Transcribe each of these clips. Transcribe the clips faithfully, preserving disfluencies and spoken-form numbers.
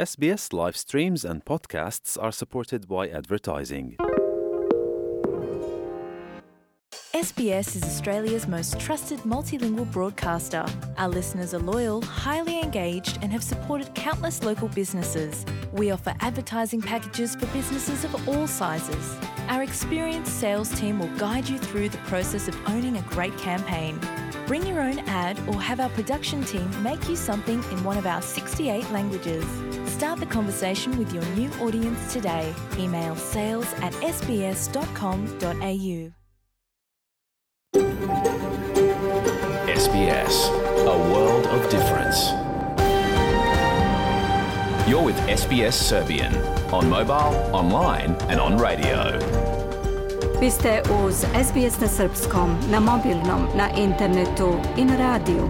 S B S live streams and podcasts are supported by advertising. S B S is Australia's most trusted multilingual broadcaster. Our listeners are loyal, highly engaged, and have supported countless local businesses. We offer advertising packages for businesses of all sizes. Our experienced sales team will guide you through the process of owning a great campaign. Bring your own ad or have our production team make you something in one of our sixty-eight languages. Start the conversation with your new audience today. Email sales at s b s dot com dot a u. S B S, a world of difference. You're with S B S Serbian on mobile, online and on radio. Vi ste uz S B S na srpskom, na mobilnom, na internetu i na radiju.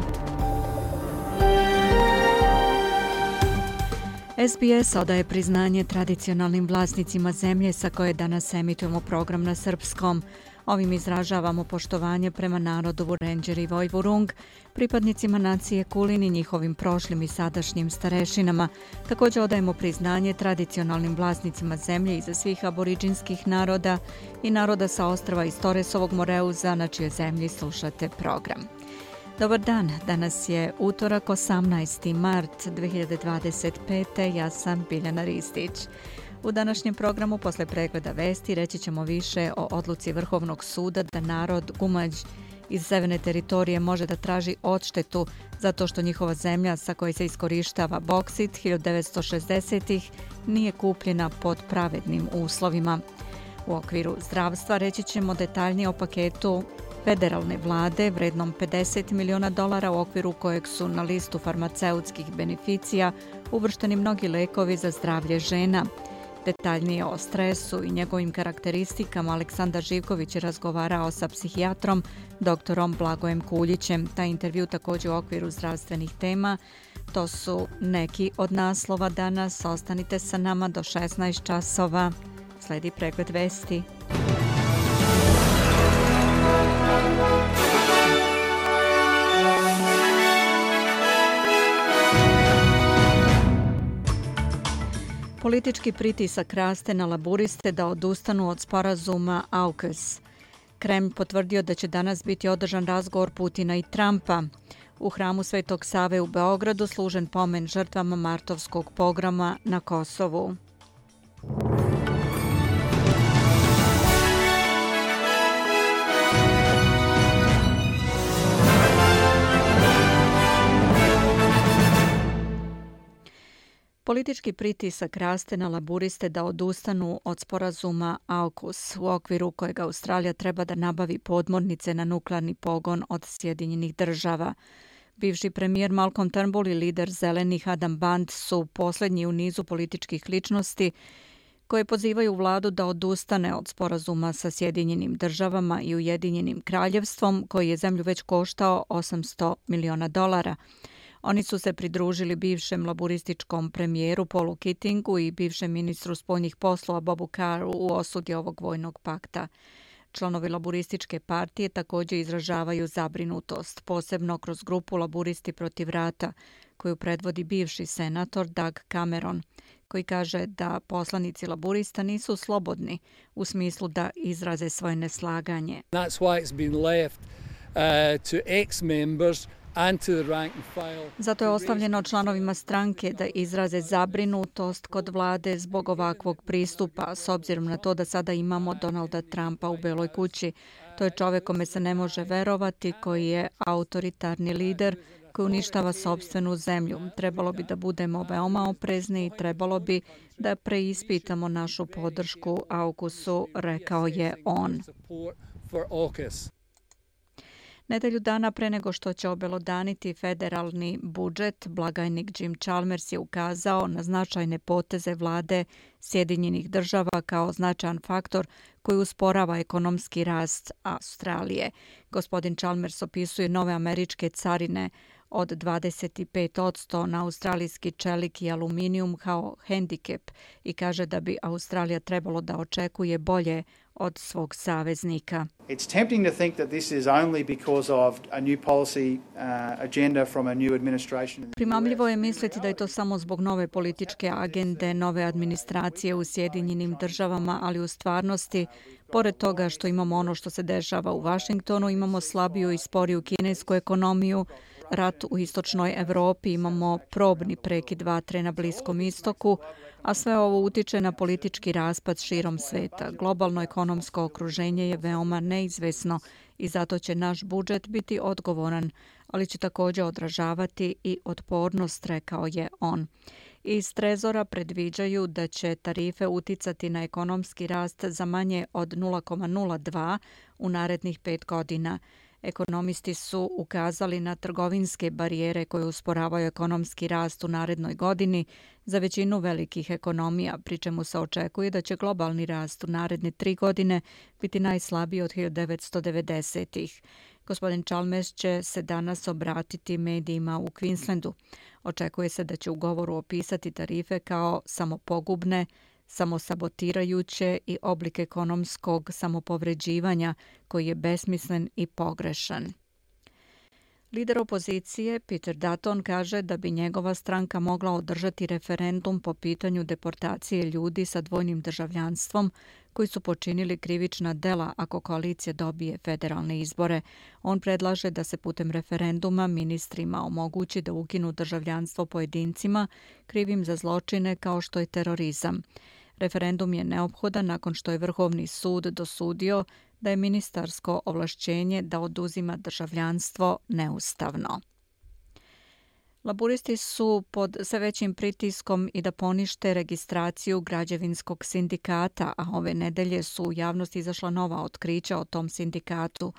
S B S odaje priznanje tradicionalnim vlasnicima zemlje sa koje danas emitujemo program na srpskom. Ovim izražavamo poštovanje prema narodu Vurenđer i Vojvurung, pripadnicima nacije Kulin i njihovim prošlim i sadašnjim starešinama. Također odajemo priznanje tradicionalnim vlasnicima zemlje iza svih aboriđinskih naroda i naroda sa ostrva iz Toresovog Moreuza, na čijoj zemlji slušate program. Dobar dan, danas je utorak osamnaesti mart dve hiljade dvadeset pete. Ja sam Biljana Ristić. U današnjem programu posle pregleda vesti reći ćemo više o odluci Vrhovnog suda da narod Gumađ iz severne teritorije može da traži odštetu zato što njihova zemlja sa kojoj se iskorištava boksit hiljadu devetsto šezdesetih nije kupljena pod pravednim uslovima. U okviru zdravstva reći ćemo detaljnije o paketu federalne vlade vrednom pedeset miliona dolara u okviru kojeg su na listu farmaceutskih beneficija uvršteni mnogi lekovi za zdravlje žena. Detaljnije o stresu i njegovim karakteristikama Aleksandar Živković je razgovarao sa psihijatrom doktorom Blagojem Kuljićem. Taj intervju također u okviru zdravstvenih tema. To su neki od naslova danas. Ostanite sa nama do šesnaest časova. Sledi pregled vesti. Politički pritisak raste na laburiste da odustanu od sporazuma AUKUS. Kremlj potvrdio da će danas biti održan razgovor Putina i Trumpa. U hramu Svetog Save u Beogradu služen pomen žrtvama martovskog pogroma na Kosovu. Politički pritisak raste na laburiste da odustanu od sporazuma AUKUS, u okviru kojeg Australija treba da nabavi podmornice na nuklearni pogon od Sjedinjenih država. Bivši premijer Malcolm Turnbull i lider zelenih Adam Band su posljednji u nizu političkih ličnosti koje pozivaju vladu da odustane od sporazuma sa Sjedinjenim državama i Ujedinjenim kraljevstvom, koji je zemlju već koštao osamsto miliona dolara. Oni su se pridružili bivšem laburističkom premijeru Paulu Keatingu i bivšem ministru spoljnih poslova Bobu Carru u osudi ovog vojnog pakta. Članovi laburističke partije također izražavaju zabrinutost, posebno kroz grupu Laburisti protiv rata, koju predvodi bivši senator Doug Cameron, koji kaže da poslanici laburista nisu slobodni u smislu da izraze svoje neslaganje. That's why it's been left uh, to ex-members. Zato je ostavljeno članovima stranke da izraze zabrinutost kod vlade zbog ovakvog pristupa, s obzirom na to da sada imamo Donalda Trumpa u Beloj kući. To je čovjek kome se ne može verovati, koji je autoritarni lider, koji uništava sopstvenu zemlju. Trebalo bi da budemo veoma oprezni i trebalo bi da preispitamo našu podršku AUKUS-u, rekao je on. Nedelju dana pre nego što će obelodaniti federalni budžet, blagajnik Jim Chalmers je ukazao na značajne poteze vlade Sjedinjenih država kao značajan faktor koji usporava ekonomski rast Australije. Gospodin Chalmers opisuje nove američke carine od dvadeset pet posto na australijski čelik i aluminijum kao hendikep i kaže da bi Australija trebalo da očekuje bolje od svog saveznika. It's tempting to think that this is only because of a new policy uh, agenda from a new administration. Primamljivo je misliti da je to samo zbog nove političke agende, nove administracije u Sjedinjenim državama, ali u stvarnosti, pored toga što imamo ono što se dešava u Vašingtonu, imamo slabiju i sporiju kinesku ekonomiju, rat u istočnoj Evropi, imamo probni prekid vatre na Bliskom istoku, a sve ovo utiče na politički raspad širom sveta. Globalno ekonomsko okruženje je veoma neizvesno i zato će naš budžet biti odgovoran, ali će također odražavati i otpornost, rekao je on. Iz Trezora predviđaju da će tarife uticati na ekonomski rast za manje od nula zarez nula dva u narednih pet godina. Ekonomisti su ukazali na trgovinske barijere koje usporavaju ekonomski rast u narednoj godini za većinu velikih ekonomija, pri čemu se očekuje da će globalni rast u naredne tri godine biti najslabiji od hiljadu devetsto devedesetih. Gospodin Chalmers će se danas obratiti medijima u Queenslandu. Očekuje se da će u govoru opisati tarife kao samopogubne, samosabotirajuće i oblik ekonomskog samopovređivanja koji je besmislen i pogrešan. Lider opozicije Peter Dutton kaže da bi njegova stranka mogla održati referendum po pitanju deportacije ljudi sa dvojnim državljanstvom koji su počinili krivična dela ako koalicija dobije federalne izbore. On predlaže da se putem referenduma ministrima omogući da ukinu državljanstvo pojedincima krivim za zločine kao što je terorizam. Referendum je neophodan nakon što je Vrhovni sud dosudio da je ministarsko ovlašćenje da oduzima državljanstvo neustavno. Laburisti su pod sve većim pritiskom i da ponište registraciju građevinskog sindikata, a ove nedelje su u javnosti izašla nova otkrića o tom sindikatu.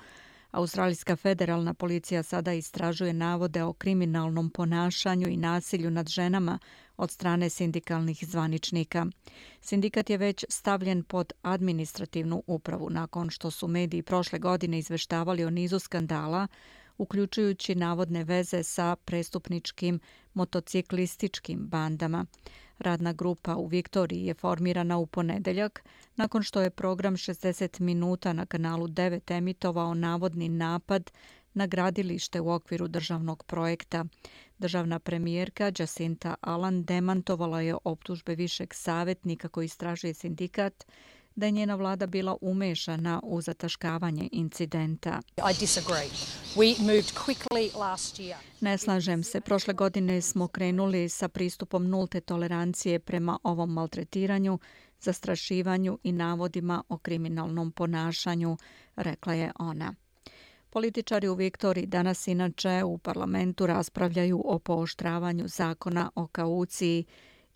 Australijska federalna policija sada istražuje navode o kriminalnom ponašanju i nasilju nad ženama od strane sindikalnih zvaničnika. Sindikat je već stavljen pod administrativnu upravu nakon što su mediji prošle godine izveštavali o nizu skandala, uključujući navodne veze sa prestupničkim motociklističkim bandama. Radna grupa u Viktoriji je formirana u ponedeljak nakon što je program šezdeset minuta na kanalu devet emitovao navodni napad na gradilište u okviru državnog projekta. Državna premijerka Jacinta Allan demantovala je optužbe višeg savjetnika koji istražuje sindikat da je njena vlada bila umešana u zataškavanje incidenta. I disagree. We moved quickly last year. Ne slažem se. Prošle godine smo krenuli sa pristupom nulte tolerancije prema ovom maltretiranju, zastrašivanju i navodima o kriminalnom ponašanju, rekla je ona. Političari u Viktoriji danas inače u parlamentu raspravljaju o pooštravanju zakona o kauciji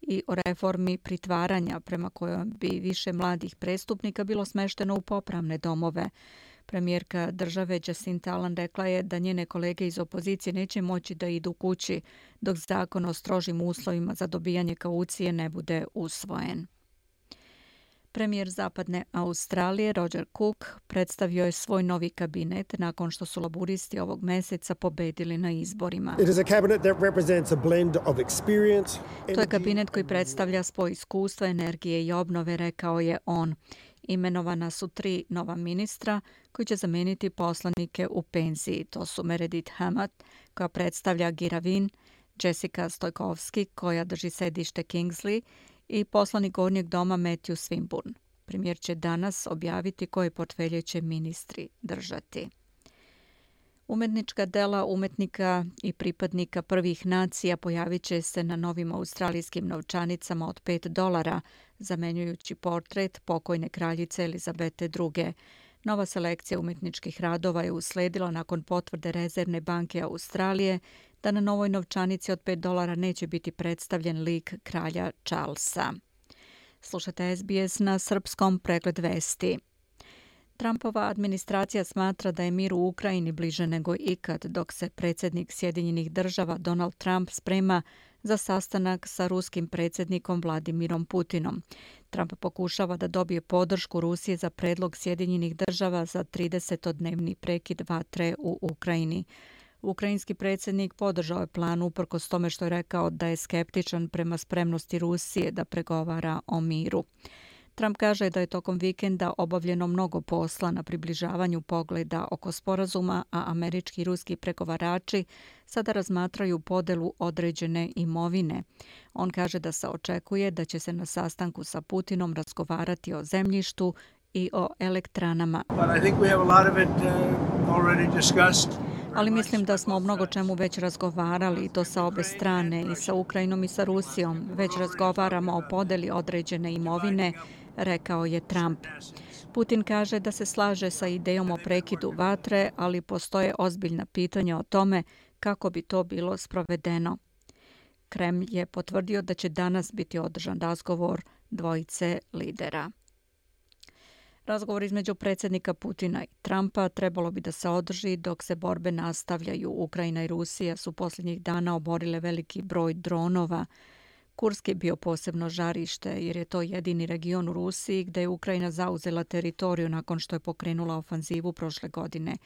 i o reformi pritvaranja prema kojoj bi više mladih prestupnika bilo smešteno u popravne domove. Premijerka države Jacinta Allan rekla je da njene kolege iz opozicije neće moći da idu kući dok zakon o strožim uslovima za dobijanje kaucije ne bude usvojen. Premijer Zapadne Australije Roger Cook predstavio je svoj novi kabinet nakon što su laburisti ovog meseca pobedili na izborima. It is a cabinet that represents a blend of experience. To je kabinet koji predstavlja spoj iskustva, energije i obnove, rekao je on. Imenovana su tri nova ministra koji će zameniti poslanike u penziji. To su Meredith Hammett, koja predstavlja Giravin, Jessica Stojkovski, koja drži sedište Kingsley, i poslanik Gornjeg doma Matthew Swinburne. Premijer će danas objaviti koje portfelje će ministri držati. Umetnička dela umetnika i pripadnika prvih nacija pojavit će se na novim australijskim novčanicama od pet dolara, zamenjujući portret pokojne kraljice Elizabete druge. Nova selekcija umetničkih radova je usledila nakon potvrde Rezervne banke Australije da na novoj novčanici od pet dolara neće biti predstavljen lik kralja Charlesa. Slušate S B S na srpskom, pregled vesti. Trumpova administracija smatra da je mir u Ukrajini bliže nego ikad, dok se predsjednik Sjedinjenih država Donald Trump sprema za sastanak sa ruskim predsjednikom Vladimirom Putinom. Trump pokušava da dobije podršku Rusije za predlog Sjedinjenih država za tridesetodnevni prekid vatre u Ukrajini. Ukrajinski predsjednik podržao je plan uprkos tome što je rekao da je skeptičan prema spremnosti Rusije da pregovara o miru. Trump kaže da je tokom vikenda obavljeno mnogo posla na približavanju pogleda oko sporazuma, a američki i ruski pregovarači sada razmatraju podelu određene imovine. On kaže da se očekuje da će se na sastanku sa Putinom razgovarati o zemljištu i o elektranama. Ali mislim da smo o mnogo čemu već razgovarali, i to sa obe strane, i sa Ukrajinom i sa Rusijom. Već razgovaramo o podeli određene imovine, rekao je Trump. Putin kaže da se slaže sa idejom o prekidu vatre, ali postoje ozbiljna pitanja o tome kako bi to bilo sprovedeno. Kremlj je potvrdio da će danas biti održan razgovor dvojice lidera. Razgovor između predsjednika Putina i Trumpa trebalo bi da se održi dok se borbe nastavljaju. Ukrajina i Rusija su posljednjih dana oborile veliki broj dronova. Kursk je bio posebno žarište jer je to jedini region u Rusiji gdje je Ukrajina zauzela teritoriju nakon što je pokrenula ofanzivu prošle godine.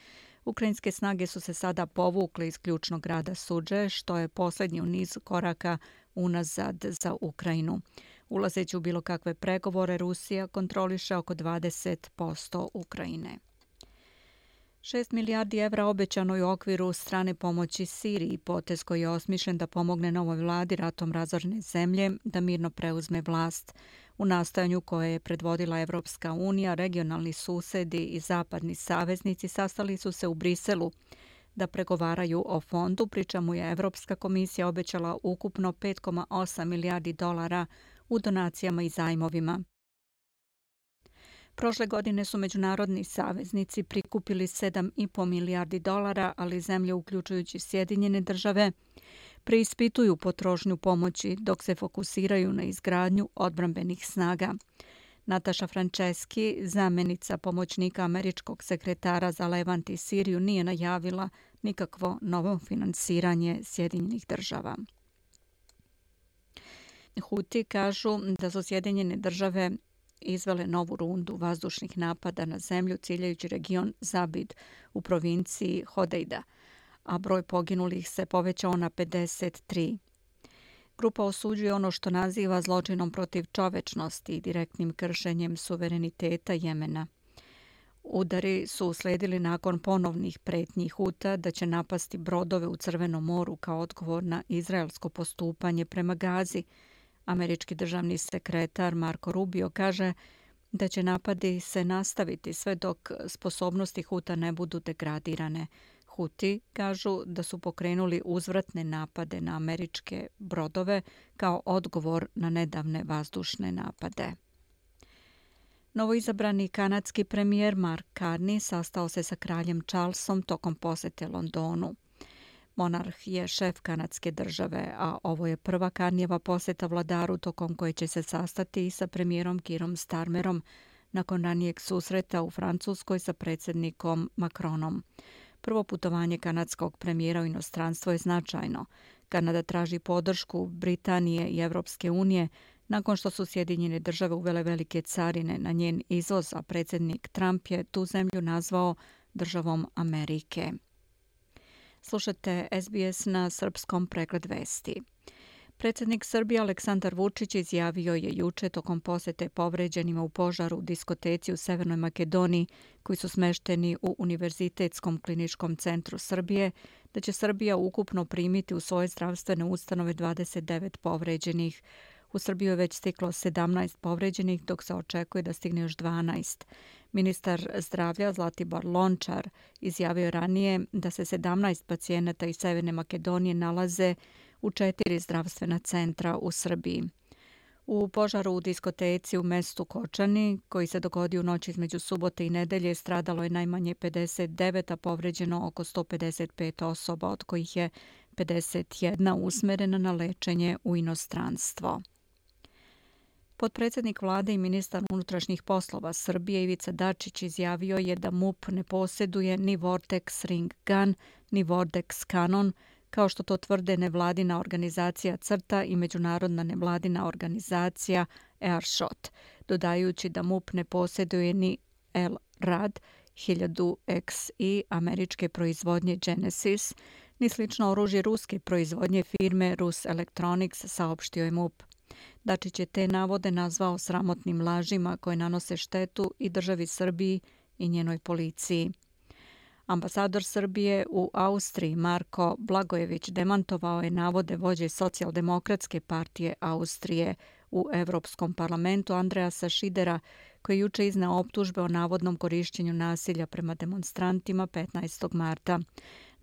Ukrajinske snage su se sada povukle iz ključnog grada Sudže, što je posljednji u nizu koraka unazad za Ukrajinu. Ulazeći u bilo kakve pregovore, Rusija kontroliše oko dvadeset posto Ukrajine. Šest milijardi evra obećano je u okviru strane pomoći Siriji, potez koji je osmišljen da pomogne novoj vladi ratom razorene zemlje da mirno preuzme vlast. U nastojanju koje je predvodila Evropska unija, regionalni susedi i zapadni saveznici sastali su se u Briselu da pregovaraju o fondu, pri čemu je Evropska komisija obećala ukupno pet zarez osam milijardi dolara u donacijama i zajmovima. Prošle godine su međunarodni saveznici prikupili sedam zarez pet milijardi dolara, ali zemlje, uključujući Sjedinjene države, preispituju potrošnju pomoći dok se fokusiraju na izgradnju odbrambenih snaga. Nataša Franceski, zamjenica pomoćnika američkog sekretara za Levant i Siriju, nije najavila nikakvo novo finansiranje Sjedinjenih država. Huti kažu da su Sjedinjene države izvele novu rundu vazdušnih napada na zemlju ciljajući region Zabid u provinciji Hodejda, a broj poginulih se povećao na pedeset tri. Grupa osuđuje ono što naziva zločinom protiv čovečnosti i direktnim kršenjem suvereniteta Jemena. Udari su usledili nakon ponovnih pretnji Huta da će napasti brodove u Crvenom moru kao odgovor na izraelsko postupanje prema Gazi. Američki državni sekretar Marco Rubio kaže da će napadi se nastaviti sve dok sposobnosti Huta ne budu degradirane. Huti kažu da su pokrenuli uzvratne napade na američke brodove kao odgovor na nedavne vazdušne napade. Novoizabrani kanadski premijer Mark Carney sastao se sa kraljem Charlesom tokom posete Londonu. Monarh je šef kanadske države, a ovo je prva Carneyjeva poseta vladaru tokom koje će se sastati i sa premijerom Keerom Starmerom nakon ranijeg susreta u Francuskoj sa predsjednikom Macronom. Prvo putovanje kanadskog premijera u inostranstvo je značajno. Kanada traži podršku Britanije i Evropske unije nakon što su Sjedinjene države uvele velike carine na njen izvoz, a predsjednik Trump je tu zemlju nazvao državom Amerike. Slušate S B S na srpskom, pregled vesti. Predsjednik Srbije Aleksandar Vučić izjavio je juče tokom posete povređenima u požaru u diskoteci u Severnoj Makedoniji koji su smešteni u Univerzitetskom kliničkom centru Srbije da će Srbija ukupno primiti u svoje zdravstvene ustanove dvadeset devet povređenih. U Srbiju je već stiglo sedamnaest povređenih, dok se očekuje da stigne još dvanaest. Ministar zdravlja Zlatibor Lončar izjavio je ranije da se sedamnaest pacijenata iz Severne Makedonije nalaze u četiri zdravstvena centra u Srbiji. U požaru u diskoteci u mestu Kočani, koji se dogodio u noći između subote i nedelje, stradalo je najmanje pedeset devet, a povređeno oko sto pedeset pet osoba, od kojih je pedeset jedna usmerena na lečenje u inostranstvo. Potpredsjednik vlade i ministar unutrašnjih poslova Srbije Ivica Dačić izjavio je da M U P ne posjeduje ni Vortex Ring Gun, ni Vortex Kanon, kao što to tvrde nevladina organizacija CRTA i međunarodna nevladina organizacija Airshot, dodajući da M U P ne posjeduje ni L RAD hiljadu X I američke proizvodnje Genesis, ni slično oružje ruske proizvodnje firme Rus Electronics, saopštio je M U P. Dačić je te navode nazvao sramotnim lažima koje nanose štetu i državi Srbiji i njenoj policiji. Ambasador Srbije u Austriji Marko Blagojević demantovao je navode vođe Socijaldemokratske partije Austrije u Evropskom parlamentu Andreasa Šidera, koji je juče izneo optužbe o navodnom korišćenju nasilja prema demonstrantima petnaestog marta.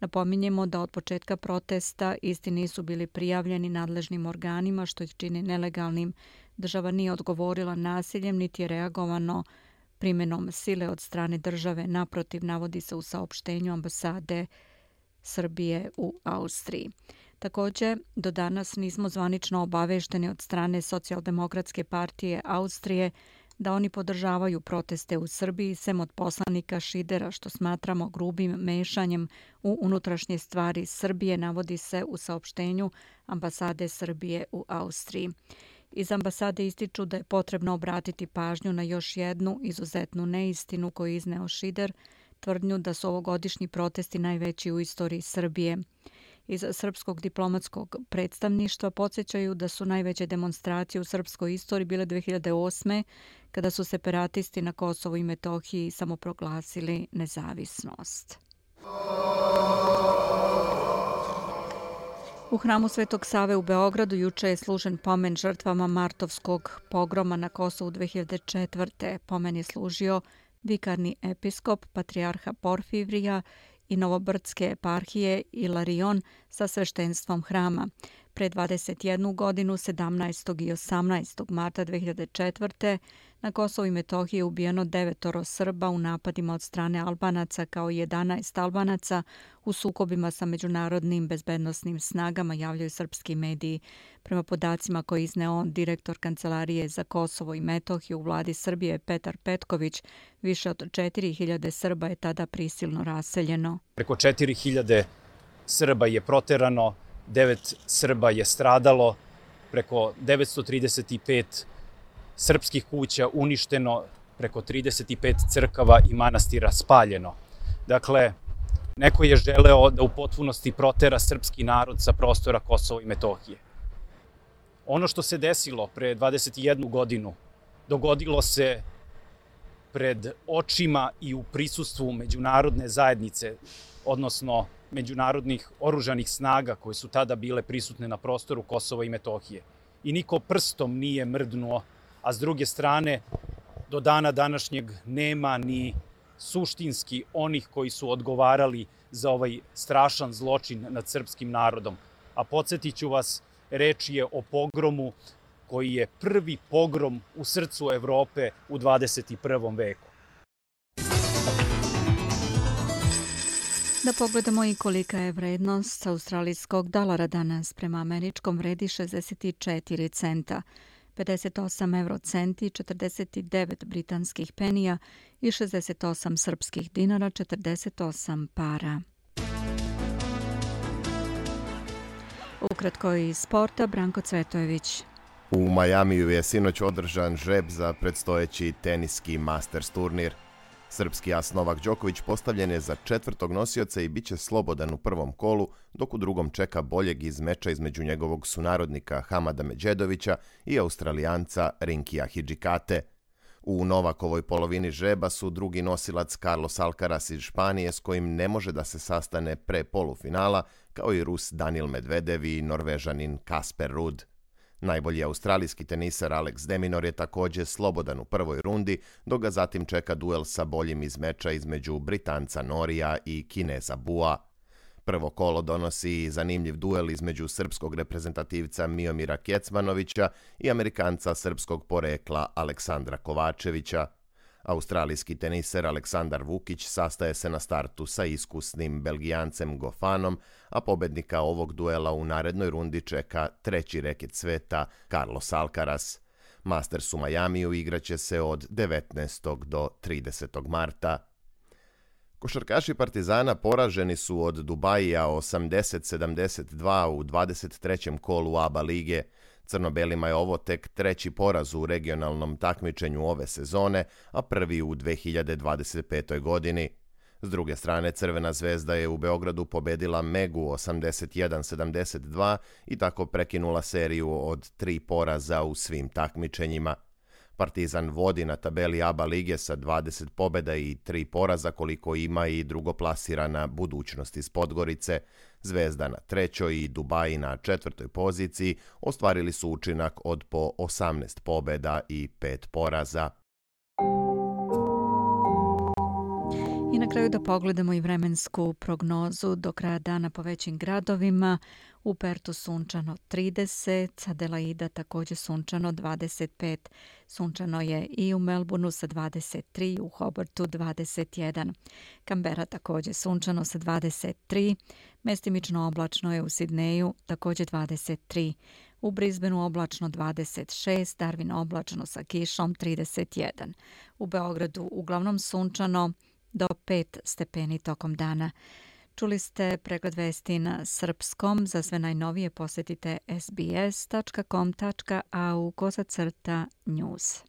Napominjemo da od početka protesta isti nisu bili prijavljeni nadležnim organima, što ih čini nelegalnim. Država nije odgovorila nasiljem, niti je reagovano primjenom sile od strane države. Naprotiv, navodi se u saopštenju ambasade Srbije u Austriji. Također, do danas nismo zvanično obavešteni od strane Socijaldemokratske partije Austrije da oni podržavaju proteste u Srbiji, sem od poslanika Šidera, što smatramo grubim mešanjem u unutrašnje stvari Srbije, navodi se u saopštenju ambasade Srbije u Austriji. Iz ambasade ističu da je potrebno obratiti pažnju na još jednu izuzetnu neistinu koju je izneo Šider, tvrdnju da su ovogodišnji protesti najveći u istoriji Srbije. Iz srpskog diplomatskog predstavništva podsjećaju da su najveće demonstracije u srpskoj istoriji bile dve hiljade osme. kada su separatisti na Kosovu i Metohiji samoproglasili nezavisnost. U hramu Svetog Save u Beogradu juče je služen pomen žrtvama martovskog pogroma na Kosovu dve hiljade četvrte. Pomen je služio vikarni episkop patrijarha Porfirija i Novobrdske eparhije Ilarion sa sveštenstvom hrama. Pre dvadeset jednu godinu, sedamnaestog i osamnaestog marta dve hiljade četvrte. na Kosovu i Metohiji je ubijeno devetoro Srba u napadima od strane Albanaca kao i jedanaest Albanaca u sukobima sa međunarodnim bezbednosnim snagama, javljaju srpski mediji. Prema podacima koje izneo direktor Kancelarije za Kosovo i Metohiju u vladi Srbije Petar Petković, više od četiri hiljade Srba je tada prisilno raseljeno. Preko četiri hiljade Srba je proterano, devet Srba je stradalo, preko devetsto trideset pet srpskih kuća uništeno, preko trideset pet crkava i manastira spaljeno. Dakle, neko je želeo da u potpunosti protera srpski narod sa prostora Kosova i Metohije. Ono što se desilo pre dvadeset jednu godinu dogodilo se pred očima i u prisustvu međunarodne zajednice, odnosno međunarodnih oružanih snaga koje su tada bile prisutne na prostoru Kosova i Metohije. I niko prstom nije mrdnuo, a s druge strane, do dana današnjeg nema ni suštinski onih koji su odgovarali za ovaj strašan zločin nad srpskim narodom. A podsjetit ću vas, reč je o pogromu koji je prvi pogrom u srcu Evrope u dvadeset prvom veku. Da pogledamo i kolika je vrednost australijskog dolara danas. Prema američkom vredi šezdeset četiri centa, pedeset osam eurocenti, četrdeset devet britanskih penija i šezdeset osam srpskih dinara, četrdeset osam para. Ukratko iz sporta, Branko Cvetojević. U Majamiju je sinoć održan žreb za predstojeći teniski Masters turnir. Srpski as Novak Đoković postavljen je za četvrtog nosioca i bit će slobodan u prvom kolu, dok u drugom čeka boljeg iz meča između njegovog sunarodnika Hamada Medžedovića i Australijanca Rinkija Hidžikate. U Novakovoj polovini žreba su drugi nosilac Carlos Alcaraz iz Španije, s kojim ne može da se sastane pre polufinala, kao i Rus Daniil Medvedev i Norvežanin Kasper Ruud. Najbolji australijski tenisar Alex de Minaur je također slobodan u prvoj rundi, dok ga zatim čeka duel sa boljim iz meča između Britanca Norija i Kineza Bua. Prvo kolo donosi zanimljiv duel između srpskog reprezentativca Miomira Kecmanovića i Amerikanca srpskog porekla Aleksandra Kovačevića. Australijski teniser Aleksandar Vukić sastaje se na startu sa iskusnim Belgijancem Gofanom, a pobednika ovog duela u narednoj rundi čeka treći reket sveta Carlos Alcaraz. Masters u Majamiju igraće se od devetnaestog do tridesetog marta. Košarkaši Partizana poraženi su od Dubajija osamdeset sedamdeset dva u dvadeset trećem kolu A B A lige. Crno-belima je ovo tek treći poraz u regionalnom takmičenju ove sezone, a prvi u dve hiljade dvadeset petoj godini. S druge strane, Crvena zvezda je u Beogradu pobedila Megu osamdeset jedan sedamdeset dva i tako prekinula seriju od tri poraza u svim takmičenjima. Partizan vodi na tabeli A B A lige sa dvadeset pobjeda i tri poraza koliko ima i drugoplasirana Budućnost iz Podgorice. Zvezda na trećoj i Dubaji na četvrtoj poziciji ostvarili su učinak od po osamnaest pobjeda i pet poraza. I na kraju da pogledamo i vremensku prognozu do kraja dana po većim gradovima. U Pertu sunčano trideset, Adelaida također sunčano dvadeset pet. Sunčano je i u Melbourneu sa dvadeset tri, u Hobartu dvadeset jedan. Canberra također sunčano sa dvadeset tri. Mestimično oblačno je u Sidneju također dvadeset tri. U Brisbaneu oblačno dvadeset šest, Darwin oblačno sa kišom trideset jedan. U Beogradu uglavnom sunčano do pet stepeni tokom dana. Čuli ste pregled vesti na srpskom. Za sve najnovije posjetite s b s dot com dot a u kosacrta news.